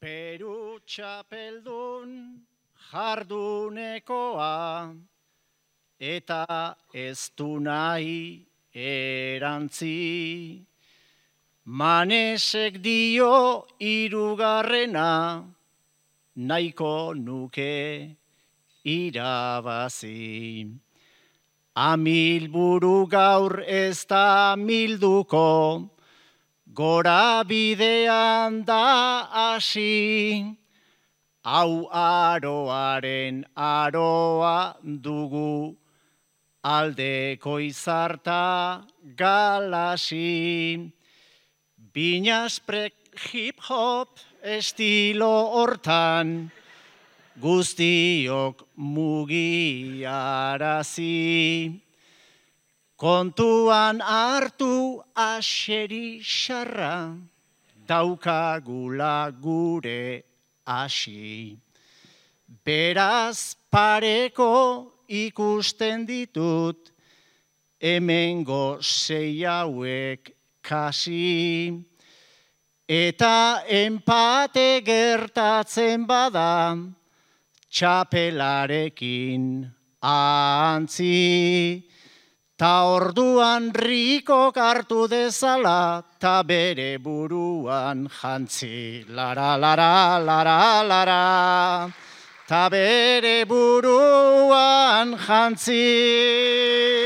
Peru txapeldun jardunekoa, eta ez du nahi erantzi. Manesek dio hirugarrena, nahiko nuke irabazi. Amilburu gaur ez da milduko, gora bidean da hasi. Hau aroaren aroa dugu, aldeko izarta galasi. Binasprek hip-hop estilo hortan, guztiok mugiarazi. Kontuan hartu aseri xarra, daukagula gure hasi. Beraz pareko ikusten ditut, hemengo sei hauek kasi. Eta enpate gertatzen bada, txapelarekin antzi. Ta orduan rikok hartu dezala, ta bere buruan jantzi. Lara, lara, lara, lara, ta bere buruan jantzi.